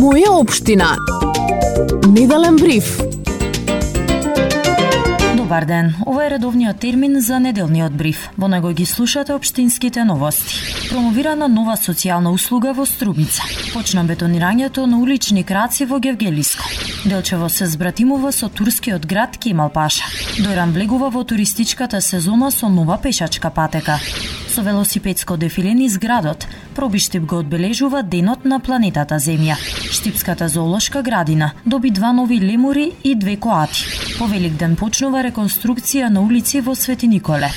Моја општина. Неделен бриф. Добар ден, ова е редовниот термин за неделниот бриф. Во него ги слушате општинските новости. Промовирана нова социјална услуга во Струмица. Почна бетонирањето на улични краци во Гевгелиско. Делчево се збратимува со турскиот град Кемал Паша. Дојран влегува во туристичката сезона со нова пешачка патека. Со велосипедско дефиле низ градот, Пробиштип го одбележува Денот на планетата Земја. Штипската зоолошка градина доби 2 нови лемури и 2 коати. По Великден почнува реконструкција на улици во Свети Николе.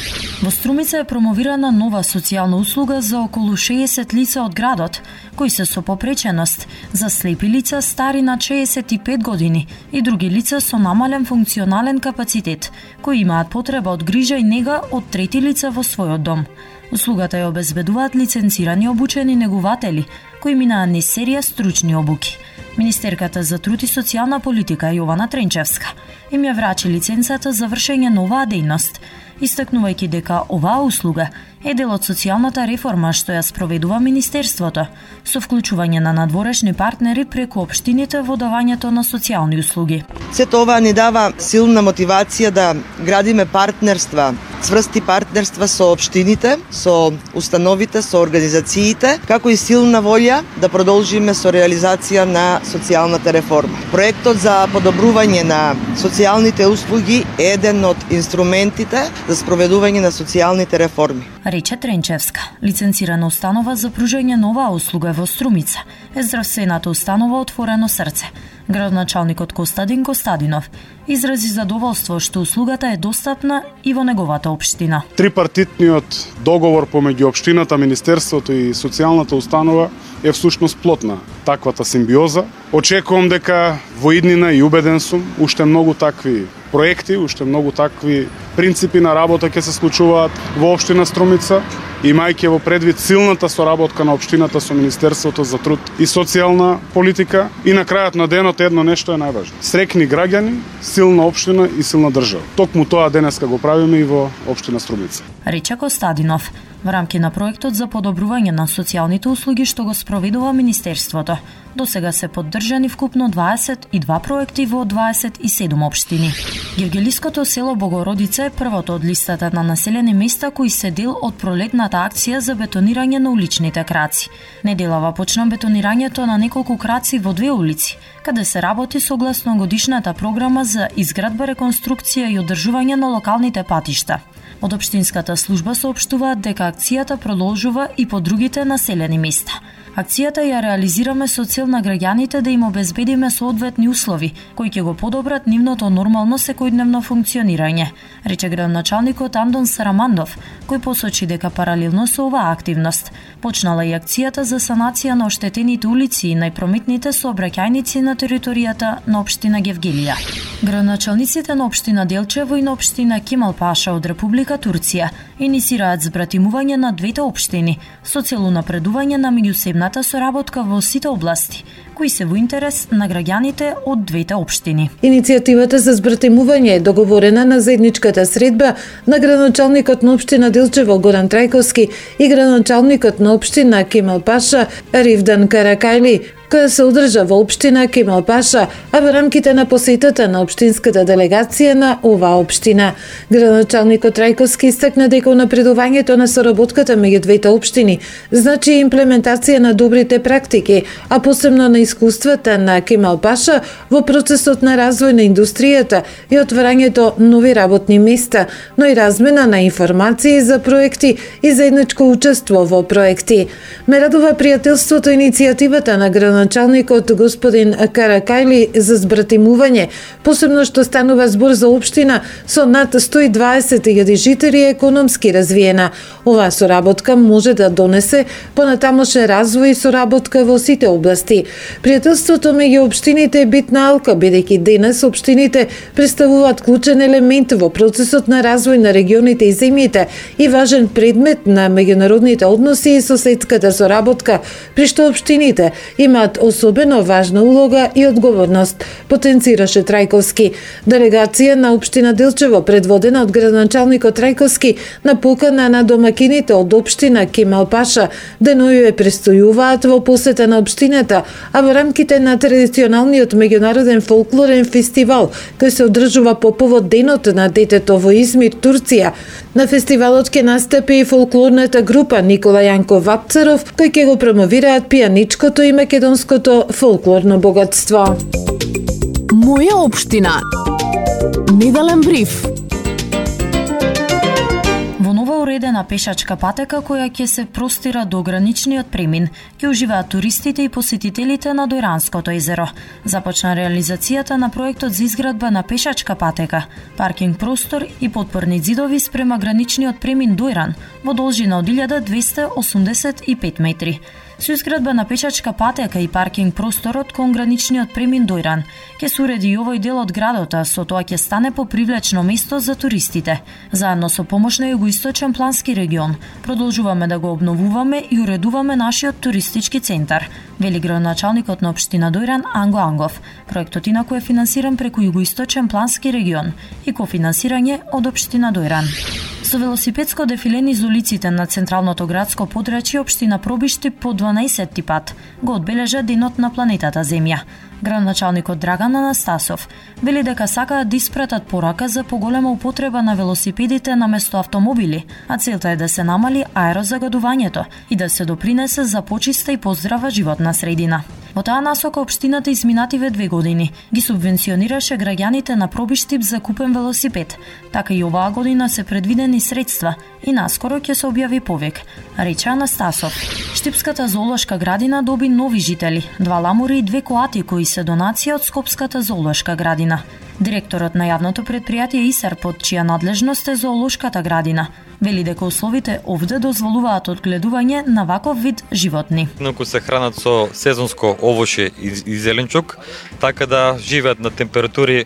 Во Струмица е промовирана нова социјална услуга за околу 60 лица од градот, кои се со попреченост, за слепи лица стари на 65 години и други лица со намален функционален капацитет, кои имаат потреба од грижа и нега од трети лица во својот дом. Услугата ја обезбедуваат лиценцирани обучени негуватели, кои минаат низ серија стручни обуки. Министерката за труд и социјална политика Јована Тренчевска им ја врачи лиценцата за вршење на оваа дејност, истакнувајќи дека оваа услуга е дел од социјалната реформа што ја спроведува Министерството, со вклучување на надворешни партнери преку општините во давањето на социјални услуги. Сето ова ни дава силна мотивација да градиме партнерства, цврсти партнерства со општините, со установите, со организациите, како и силна волја да продолжиме со реализација на социјалната реформа. Проектот за подобрување на социјалните услуги е еден од инструментите за спроведување на социјалните реформи. Рече Тренчевска. Лиценцирана установа за пружање на оваа услуга во Струмица е здравствената установа Отворено срце. Градоначалникот Костадин Костадинов изрази задоволство што услугата е достапна и во неговата општина. Трипартитниот договор помеѓу општината, Министерството и социјалната установа е всушност плод на таквата симбиоза. Очекувам дека во иднина и убеден сум уште многу такви проекти, уште многу такви принципи на работа ќе се случуваат во општина Струмица, имајќи во предвид силната соработка на општината со Министерството за труд и социјална политика. И на крајот на денот едно нешто е најважно. Среќни граѓани, силна општина и силна држава. Токму тоа денеска го правиме и во општина Струмица. Рече Костадинов. Во рамки на проектот за подобрување на социјалните услуги што го спроведува Министерството, до сега се поддржани вкупно 22 проекти во 27 општини. Гевгелиското село Богородица е првото од листата на населени места кои се дел од пролетната акција за бетонирање на уличните краци. Неделава почна бетонирањето на неколку краци во 2 улици, каде се работи согласно годишната програма за изградба, реконструкција и одржување на локалните патишта. Од општинската служба соопштуваат дека акцијата продолжува и по другите населени места. Акцијата ја реализираме со цел на граѓаните да им обезбедиме соодветни услови, кои ќе го подобрат нивното нормално секојдневно функционирање, рече градоначалникот Андон Сарамандов, кој посочи дека паралелно со оваа активност почнала и акцијата за санација на оштетените улици и најпрометните сообраќајници на територијата на општина Гевгелија. Градоначалниците на општина Делчево и на општина Кемал Паша од Република Турција инициираат збратимување на двете општини со цел унапредување на меѓусебната соработка во сите области, кои се во интерес на граѓаните од двете општини. Иницијативата за збратимување е договорена на заедничката средба на градоначалникот на општина Делчево Горан Трајковски и градоначалникот на општина Кемал Паша Ривдан Каракајли, која се одржа во општина Кемал Паша, а во рамките на посетата на општинската делегација на оваа општина. Градоначалникот Трајковски истакна дека напредувањето на соработката меѓу двете општини значи имплементација на добрите практики, а посебно на искуствата на Кемал Паша во процесот на развој на индустријата и отварањето нови работни места, но и размена на информации за проекти и заедничко учество во проекти. Ме радува пријателството и иницијативата на градоначалникот господин Каракајли за збратимување, посебно што станува збор за општина со над 120.000 жители и економски развиена. Оваа соработка може да донесе понатамошен развој и соработка во сите области. Пријателството меѓу општините е битна алка, бидејќи денес општините представуваат клучен елемент во процесот на развој на регионите и земјите и важен предмет на меѓународните односи и соседската соработка, при што општините имаат имаат особено важна улога и одговорност, потенцираше Трајковски. Делегација на општина Делчево, предводена од градоначалникот Трајковски, на покана на домакините од општина Кемал Паша, деноју престојуваат во посета на општината, а во рамките на традиционалниот меѓународен фолклорен фестивал, кој се одржува по повод Денот на детето во Измир, Турција. На фестивалот ќе настапи и фолклорната група Никола Јанков Вапцаров, кој ќе го промовираат пијаничкото и македонското фолклорно богатство. Моја општина. Неделен бриф. Во нова уредена пешачка патека која ќе се простира до граничниот премин, ќе уживаат туристите и посетителите на Дојранското езеро. Започна реализацијата на проектот за изградба на пешачка патека, паркинг простор и подпорни ѕидови спрема граничниот премин Дојран во должина од 1285 метри. Со изградба на пешачка патека и паркинг просторот кон граничниот премин Дојран ќе се уреди и овој дел од градот, а со тоа ќе стане попривлечно место за туристите. Заедно со помош на Југоисточен плански регион продолжуваме да го обновуваме и уредуваме нашиот туристички центар, вели градоначалникот на општина Дојран Анго Ангов. Проектот инаку е финансиран преку Југоисточен плански регион и кофинансирање од општина Дојран. Со велосипедско дефиле низ улиците на централното градско подрачје општина Пробишти по 12-ти пат го одбележа Денот на планетата Земја. Градоначалникот Драган Анастасов вели дека сакаат да испратат порака за поголема употреба на велосипедите наместо автомобили, а целта е да се намали аерозагадувањето и да се допринесе за почиста и поздрава животна средина. Во таа насока општината изминативе 2 години ги субвенционираше граѓаните на Пробиштип за купен велосипед. Така и оваа година се предвидени средства и наскоро ќе се објави повик, рече Анастасов. Штипската зоолошка градина доби нови жители, 2 ламури и 2 коати кои се донација од Скопската зоолошка градина. Директорот на јавното предпријатие ИСАР, под чија надлежност е зоолошката градина, вели дека условите овде дозволуваат одгледување на ваков вид животни. Инаку се хранат со сезонско овоше и зеленчук, така да живеат на температури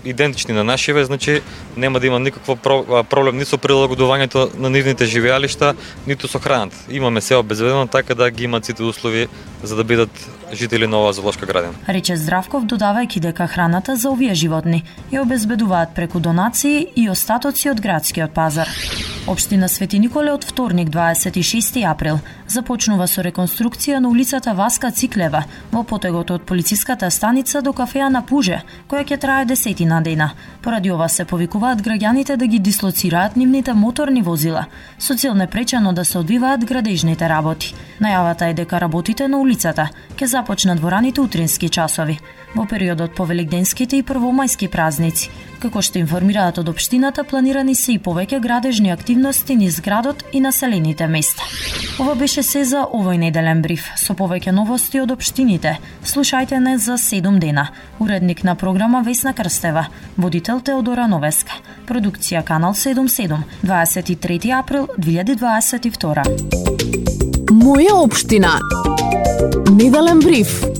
идентични на нашиве, значи нема да има никакво проблем ни со прилагодувањето на нивните живеалишта, ниту со храната. Имаме се обезбедено така да ги имаат сите услови за да бидат жители на оваа зоолошка градина. Рече Здравков, додавајќи дека храната за овие животни ја обезбедуваат преку донации и остатоци од градскиот пазар. Општина Свети Николе од вторник 26 април започнува со реконструкција на улицата Васка Циклева во потегот од полициската станица до кафеа на Пуже, која ќе трае 10 дена. Поради ова се повикуваат граѓаните да ги дислоцираат нивните моторни возила, со цел непречено да се одвиваат градежните работи. Најавата е дека работите на улицата ќе започнат во раните утрински часови, во периодот по великденските и првомајски празници. Како што информираат од општината, планирани се и повеќе градежни активности низ градот и населените места. Ова беше се за овој неделен бриф. Со повеќе новости од општините, слушајте не за 7 дена. Уредник на програма Весна Крстева, водител Теодора Новеска. Продукција Канал 77, 23 април 2022. Моја општина. Неделен бриф.